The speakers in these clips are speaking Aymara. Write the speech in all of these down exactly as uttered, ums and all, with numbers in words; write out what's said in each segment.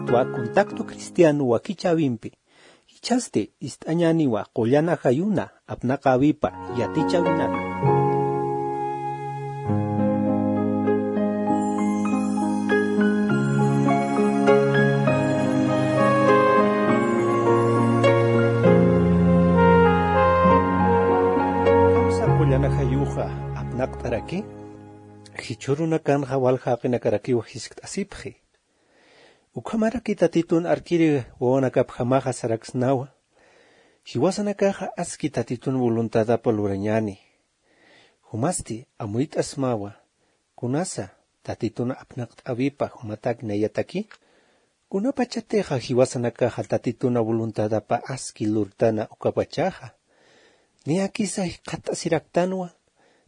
Twa contacto cristiano wakichäwimpi. Jichhasti ist'añäniwa qullan ajayuna apnaqäwipa yatichäwinaka. Qullan ajayuxa apnaqt'araki, jichhürunakanxa walja jaqinakarakiw jiskt'asipxi. Ukhamaraki Tatitun arkiri wawanakapjamaxa saraksnawa, jiwasanakaxa aski Tatitun voluntadapa lurañäni. Jumasti amuyt'asmawa, kunasa Tatitun apnaqt'äwipa jumatak nayataki. Kunapachatixa jiwasanakaxa Tatituna voluntadapa aski lurtana ukapachaxa, niyakisa jikxatasiraktanwa.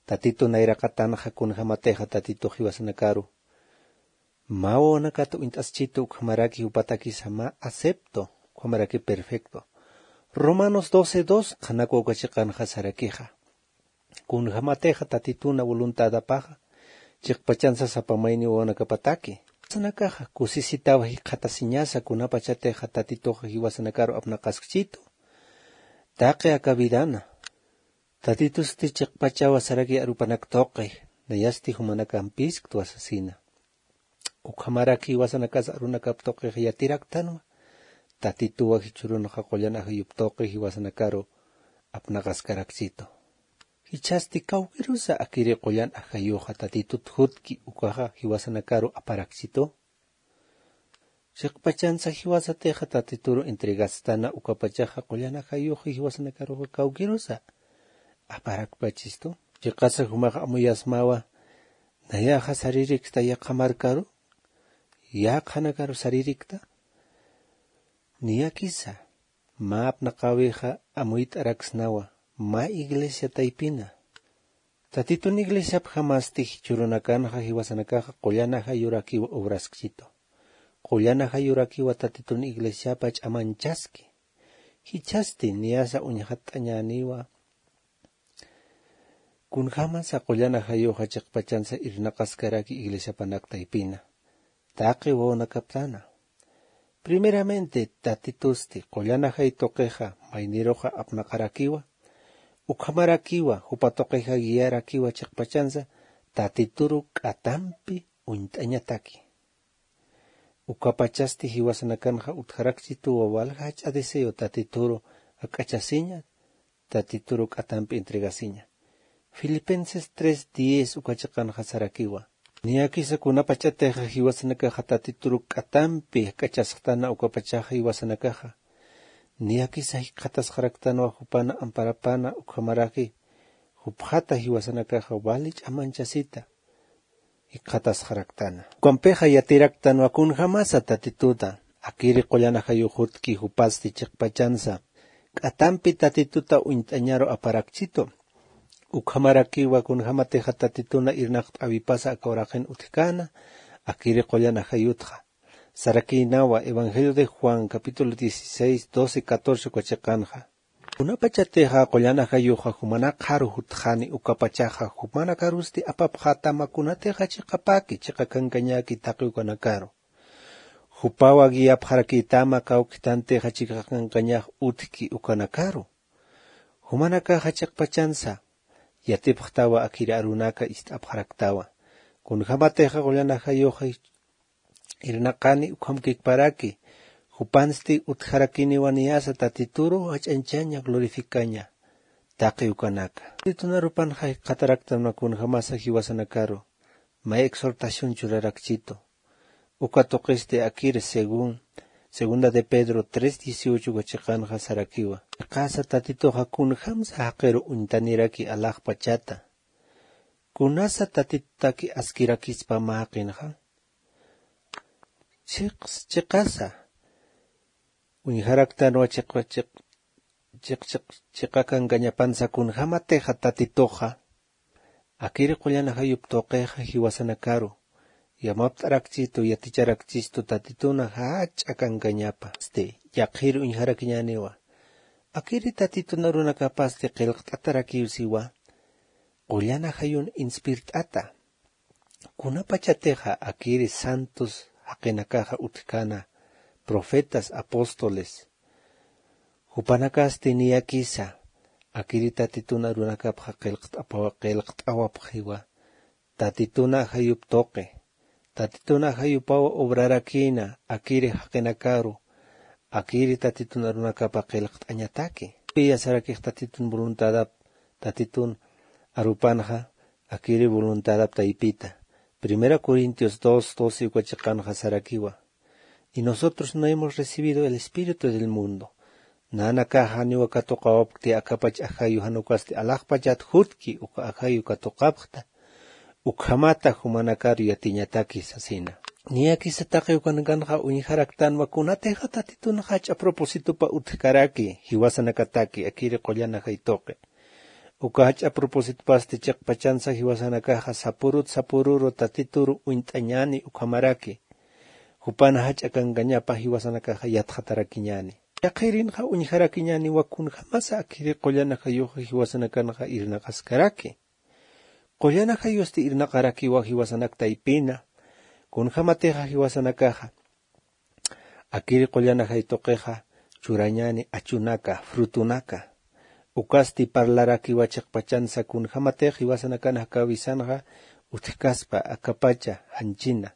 Tatitu nayraqatanxa kunjämatixa Tatitux jiwasanakaru mä wawanakat uñt'aschitu, ukhamaraki jupatakisa mä acepto, ukhamaraki perfecto. Romanos doce dos qhanakwa uka chiqanxa sarakixa. Kunjämatixa Tatituna voluntadapaxa, chiqpachansa sapa mayni wawanakapataki. Jiwasanakaxa kusisitawa jikxatasiñasa kunapachatixa Tatituxa jiwasanakaru apnaqaskchitu. Taqi aka vidana. Tatitusti chiqpachawa saraki arupanak tuqi, nayasti jumanakampïsktwa sasina. Ukhamaraki jiwasanakas arunakap tuqix yatiraktanwa, Tatituwa jichhürunxa qullan ajayup tuqi jiwasanakaru apnaqaskarakchitu. Jichhasti kawkirusa akiri qullan ajayuxa Tatitut jutki ukaxa jiwasanakaru aparakchitu. Chiqpachansa jiwasatixa Tatituru entregastana ukapachaxa qullan ajayuxi jiwasanakaruxa kawkirusa aparakpachistu. Chiqasa jumax amuyasmawa, nayaxa saririksta yaqha markaru, yaqhanakaru saririkta. Niyakisa mä apnaqäwixa amuyt'araksnawa mä iglesia taypina. Tatitun iglesiapjamasti jichhürunakanxa jiwasanakaxa qullan ajayurakiwa obraskchitu. Qullan ajayurakiwa Tatitun iglesiapa ch'amanchaski. Jichhasti niyasa uñjatt'añäniwa kunjämasa qullan ajayuxa chiqpachansa irnaqaskaraki iglesiapanak taypina, taqi wawanakaptana. Primeramente, Tatitusti qullan ajay tuqixa mayniruxa apnaqarakiwa, ukhamarakiwa jupa tuqixa guiarakiwa chiqpachansa Tatituru k'atampi uñt'añataki. Ukapachasti jiwasanakanxa utjarakchituwa walja jach'a deseo Tatituru jak'achasiña, Tatituru k'atampi entregasiña. Filipenses tres diez uka chiqanxa sarakiwa. Niyakisa kunapachatixa jiwasanakaxa Tatituru k'atampi jak'achasxtana ukapachaxa jiwasanakaxa, niyakisa jikxatasxaraktanwa jupana amparapana ukhamaraki jupxata jiwasanakaxa wali ch'amanchasita jikxatasxaraktana. Ukampixa yatiraktanwa kunjämasa Tatituta akiri qullan ajayux jutki jupasti chiqpachansa k'atampi Tatituta uñt'añaru aparakchitu. Ukhamarakiwa kunjämatixa Tatituna irnaqt'äwipasa aka uraqin utjkäna akiri qullan ajayutxa. Sarakïnawa Evangelio de Juan capítulo dieciséis, doce, catorce uka chiqanxa. Kunapachatixa qullan ajayuxa jumanakxaru jutxani ukapachaxa jumanakarusti apapxätama kunatixa chiqapaki chiqakankañäki taqi ukanakaru. Jupawa guiapxarakïtama kawktantixa chiqakankañax utjki ukanakaru. Jumanakaxa chiqpachansa yatipxtawa akiri arunaka ist'apxaraktawa. Kunjämatixa qullan ajayuxa irnaqani ukhamkikparaki, jupansti utjarakiniwa niyasa Tatituru jach'añchaña glorificaña taqi ukanaka. Tatitun arupanxa jikxataraktanwa kunjämasa jiwasanakaru mä exhortación churarakchitu. Uka tuqisti akir según segunda de Pedro tres dieciocho uka chiqanxa sarakiwa. Chiqasa Tatituxa kunjämsa jaqiru uñtaniraki alaxpachata. Kunasa Tatitutaki askirakispa mä jaqinxa. Chiqs-, chiqasa uñjaraktanwa chiq-, chiq-, chiq-, chiq-, chiqakankañapansa kunjämatixa Tatituxa akiri qullan ajayup tuqixa jiwasanakaru yamapt'arakchistu, yaticharakchistu Tatituna jach'a kankañapa. Este, yaqhir uñjarakiñäniwa. Akiri Tatitun arunakapasti qillqt'atarakiw siwa qullan ajayun inspirt'ata. Kunapachatixa akiri santos jaqinakaxa utjkäna profetas, apóstoles, jupanakasti niyakisa akiri tatitun arunakapxa qillqt'apawa qillqt'awapxiwa. Tatitun ajayup tuqi, tatitun ajayupaw obrarakïna akiri jaqinakaru, akiri tatitun arunakapa qillqt'añataki. Piyasarakix tatitun voluntadap tatitun arupanxa akiri voluntadap taypita. Primera corintios dos doce uka chiqanxa sarakiwa. Y nosotros no hemos recibido el espíritu del mundo. Nanakaxa janiwa katuqawapkti akapach ajayu jan ukasti alaxpachat jutki uka ajayu katuqapxta. Ukhamata jumanakaru yatiñataki sasina. Niyakisa taqi ukanakanxa uñjaraktanwa kunatixa tatitun jach'a propositopa utjkaraki jiwasanakataki akiri qullan ajay tuqi. Uka jach'a propositopasti chiqpachansa jiwasanakaxa sapurut sapururu tatituru uñt'añäni ukhamaraki jupan jach'a kankañapa jiwasanakaxa yatxatarakiñäni. Yaqhirinxa uñjarakiñäniwa kunjämasa akiri qullan ajayuxa jiwasanakanxa irnaqaskaraki. Qullan ajayusti irnaqarakiwa jiwasanak taypina. Kunjämatixa jiwasanakaxa akiri qullan ajay tuqixa churañäni achunaka, frutunaka. Ukasti parlarakiwa chiqpachansa kunjämatix jiwasanakan jakawisanxa utjkaspa akapacha janchina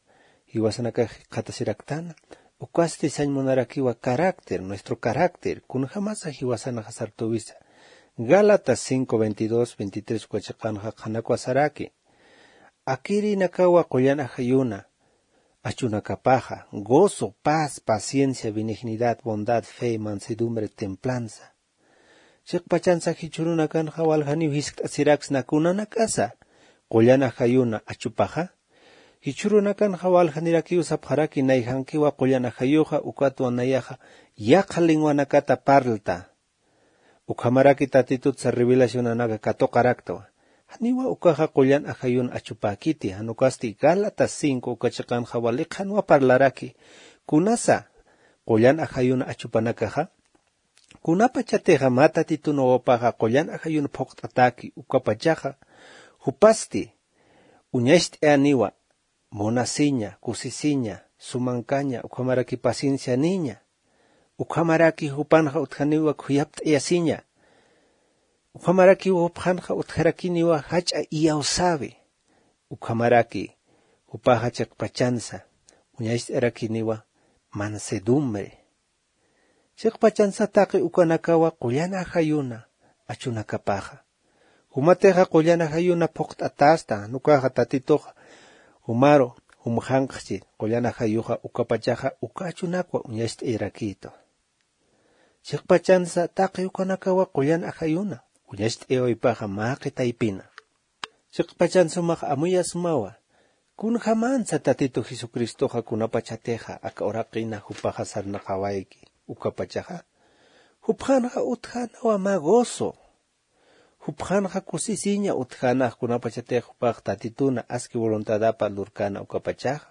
jiwasanakax jikxatasiraktana. Ukasti sañ munarakiwa carácter, nuestro carácter kunjämasa jiwasanxa sartuwisa. Gálatas cinco veintidós veintitrés uka chiqanxa qhanakwa saraki. Akirinakawa qullan ajayuna achunakapaxa gozo, paz, paciencia, benignidad, bondad, fe, mansedumbre, templanza. Chiqpachansa jichhürunakanxa waljaniw jiskt'asiraksna kunanakasa qullan ajayuna achupaxa. Jichhürunakanxa waljanirakiw sapxaraki nayjankiwa qullan ajayuxa ukatwa nayaxa yaqha lenguanakata parlta. Ukhamaraki tatitutsa revelacionanaka katuqaraktwa. Janiwa ukaxa qullan ajayun achupäkiti jan ukasti gálatas cinco uka chiqanxa wali qhanwa parlaraki. Kunasa qullan ajayun achupanakaxa? Kunapachatixa mä tatitun wawapaxa qullan ajayun phuqt'atäki ukapachaxa jupasti uñacht'ayäniwa munasiña, kusisiña, sumankaña ukhamaraki paciencianiña. Ukhamaraki jupanxa utjaniwa khuyapt'ayasiña. Ukhamaraki jupxanxa utjarakiniwa jach'a iyawsäwi. Ukhamaraki jupaxa chiqpachansa uñacht'ayarakiniwa mansedumbre. Chiqpachansa taqi ukanakawa qullan ajayuna achunakapaxa. Jumatixa qullan ajayuna phuqt'atästa jan ukaxa tatituxa jumaru jumxanqchi qullan ajayuxa ukapachaxa uka achunakwa uñacht'ayarakïtwa. Chiqpachansa taqi ukanakawa qullan ajayuna uñacht'ayawaypaxa mä qhi taypina. Chiqpachan sumax amuyasmawa. Kunjämänsa tatitu jesucristoxa kunapachatixa aka uraqina jupaxa sarnaqawayki ukapachaxa? Jupxanxa utjänawa mä gozo. Jupxanxa kusisiña utjänax kunapachatix jupax tatituna aski voluntadapa lurkäna ukapachaxa.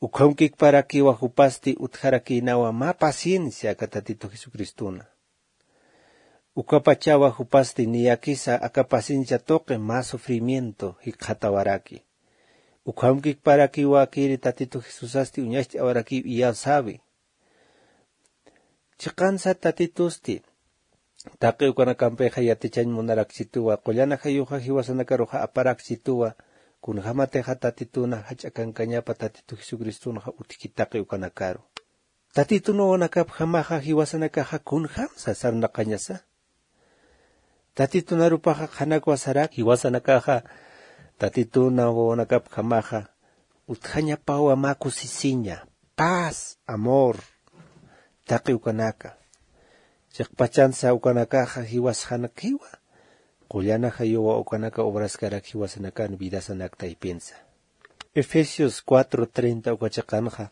Ukhamkikparakiwa jupasti utjarakïnawa mä paciencia aka tatitu jesucristona. Ukapachawa jupasti niyakisa aka paciencia tuqi mä sufrimiento jikxatawaraki. Ukhamkikparakiwa akiri tatitu jesusasti uñacht'awarakiw iyawsäwi. Chiqansa tatitusti taqi ukanakampixa yatichañ munarakchituwa qullan ajayuxa jiwasanakaruxa aparakchituwa. Kunjämatixa tatituna jach'a kankañapa tatitu jesucristonxa utjki taqi ukanakaru. Tatitun wawanakapjamaxa jiwasanakaxa kunjämsa sarnaqañasa? Tatitun arupaxa qhanakwa sarak jiwasanakaxa tatitun wawanakapjamaxa utjañapawa mä kusisiña, paz, amor, taqi ukanaka. Chiqpachansa ukanakaxa jiwasxankiwa qullan ajayuwa ukanaka obraskarak jiwasanakan vidasanak taypinsa. Efesios cuatro treinta uka chiqanxa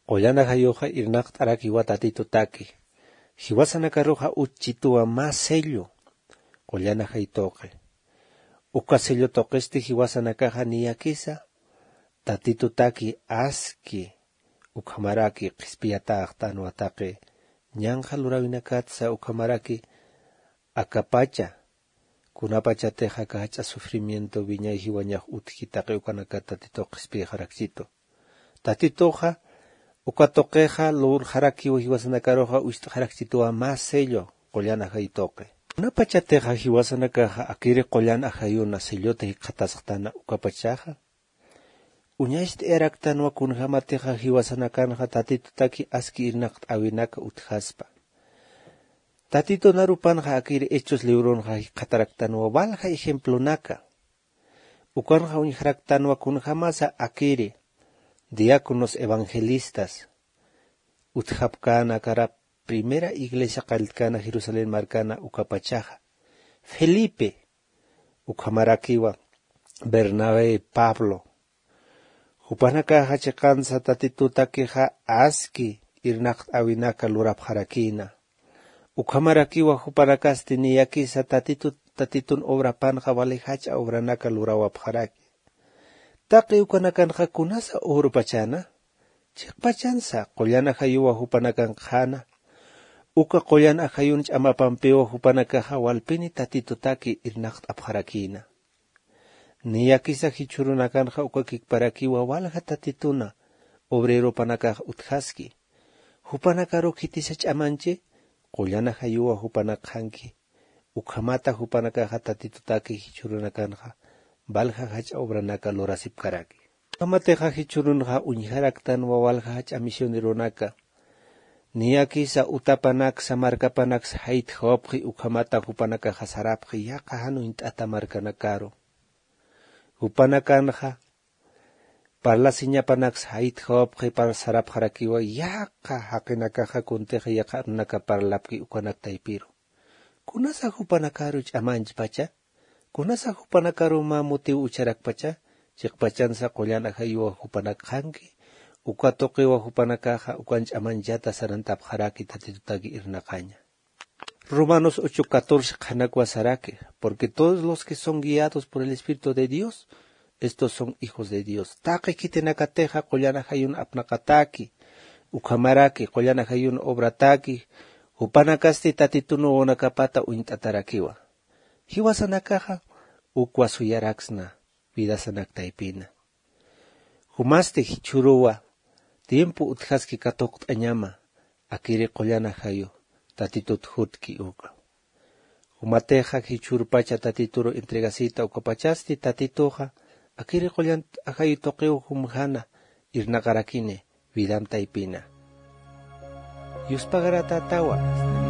qullan ajayuxa irnaqt'arakiwa tatitutaki. Jiwasanakaruxa utjchituwa mä sello qullan ajay tuqi. Uka sello tuqisti jiwasanakaxa niyakisa tatitutaki aski ukhamaraki qhispiyatäxtanwa taqi ñanqha luräwinakatsa ukhamaraki akapacha kunapachatix aka jach'a sufrimiento wiñay jiwañax utjki taqi ukanakat tatitux qhispiyxarakchitu. Tatituxa Uka tuqixa lurxarakiw jiwasanakaruxa ucht'xarakchituwa mä sello qullan ajayu tuqi. Kunapachatixa jiwasanakaxa akiri qullan ajayuna sellota jikxatasxtana ukapachaxa, uñacht'ayaraktanwa kunjämatixa jiwasanakanxa Tatitutaki aski irnaqt'äwinaka utjaspa. Tatitunarupanxa akiri Hechos libronxa jikxataraktanwa walja ejemplonaka. Ukanxa uñjaraktanwa kunjämasa akiri diáconos evangelistas utjapkänakara primera iglesia qalltkana Jerusalén markana ukapachaxa. Felipe, ukhamarakiwa Bernabé, Pablo. Jupanakaxa chiqansa Tatitutakixa aski irnaqt'äwinaka lurapxarakïna. Ukhamarakiwa jupanakasti niyakisa Tatitut, Tatitun obrapanxa wali jach'a obranaka lurawapxaraki. Taqi ukanakanxa kunasa urupachana, chiqpachansa qullan ajayuwa jupanakanxana, uka qullan ajayun ch'amapampiwa jupanakaxa walpini Tatitutaki irnaqt'apxarakïna. Niyakisa jichhürunakanxa uka kikparakiwa walja Tatituna obreropanakax utjaski. Jupanakaru khitisa ch'amanchi, qullan ajayuwa jupanak qhanki. Ukhamata jupanakaxa Tatitutaki jichhürunakanxa walja jach'a obranaka lurasipkaraki. Ukhamatixa jichhürunxa uñjaraktanwa walja jach'a misioneronaka. Niyakisa utapanaksa markapanaksa jaytjawapxi ukhamata jupanakaxa sarapxi yaqha jan uñt'ata markanakaru. Jupanakanxa parlasiñapanaksa jaytjawapxi par sarapxarakiwa yaqha jaqinakaxa kuntix yaqha arunaka parlapki ukanak taypiru. Kunasa jupanakaru ch'amanchpacha, kunasa jupanakaru mä motivo ucharakpacha, chiqpachansa qullan ajayuwa jupanak qhanki, uka tuqiwa jupanakaxa ukan ch'amanchata sarantapxaraki Tatitutaki irnaqaña. Romanos ocho catorce qhanakwa saraki, porque todos los que son guiados por el Espíritu de Dios, estos son hijos de Dios. Taqi khitinakatixa qullan ajayun apnaqataki, ukhamaraki qullan ajayun obrataki, jupanakasti Tatitun wawanakapata uñt'atarakiwa. Jiwasanakaxa ukwa suyaraksna vidasanak taypina. Jumasti jichhüruwa tiempo utjaski katuqt'añama, akiri qullan ajayu Tatitut jutki uka. Jumatixa jichhürpacha Tatituru entregasita ukapachasti Tatituxa akiri qullan ajayu tuqiw jumjana irnaqarakini vidam taypina. Yuspagaratätawa.